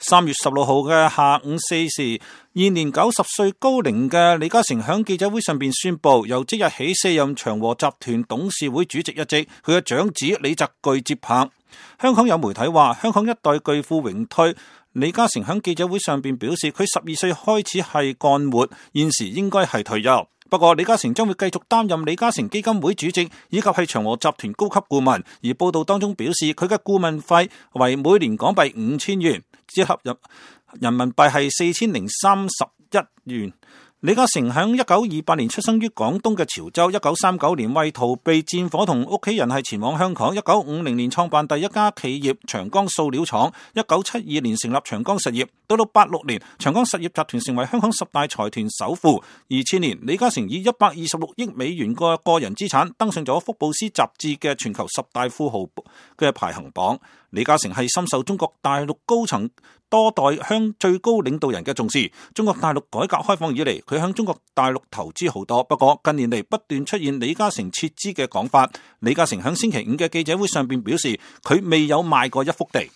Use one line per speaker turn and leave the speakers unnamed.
3月16號嘅下午4時，現年90歲高齡嘅李嘉誠喺記者會上邊宣布，由即日起卸任長和集團董事會主席一職，佢嘅長子李澤钜接棒。香港有媒體話，香港一代巨富榮退。李嘉誠喺記者會上邊表示，佢12歲開始係幹活，現時應該係退休。不過李嘉誠將會繼續擔任李嘉誠基金會主席，以及係長和集團高級顧問。而報道當中表示，佢嘅顧問費為每年港幣5000元，折合人民幣係4031元。李嘉誠喺1928年出生於廣東嘅潮州，1939年為逃避戰火同屋企人係前往香港，1950年創辦第一家企業長江塑料廠，1972年成立長江實業，到86年長江實業集團成為香港10大財團首富。2000年李嘉誠以126億美元嘅個人資產登上咗福布斯雜誌嘅全球10大富豪嘅排行榜。李嘉誠係深受中國大陸高層多代向最高領導人嘅重視。中國大陸改革開放以嚟，佢向中國大陸投資好多。不過近年嚟不斷出現李嘉誠撤資嘅講法。李嘉誠喺星期五嘅記者會上邊表示，佢未有賣過一幅地。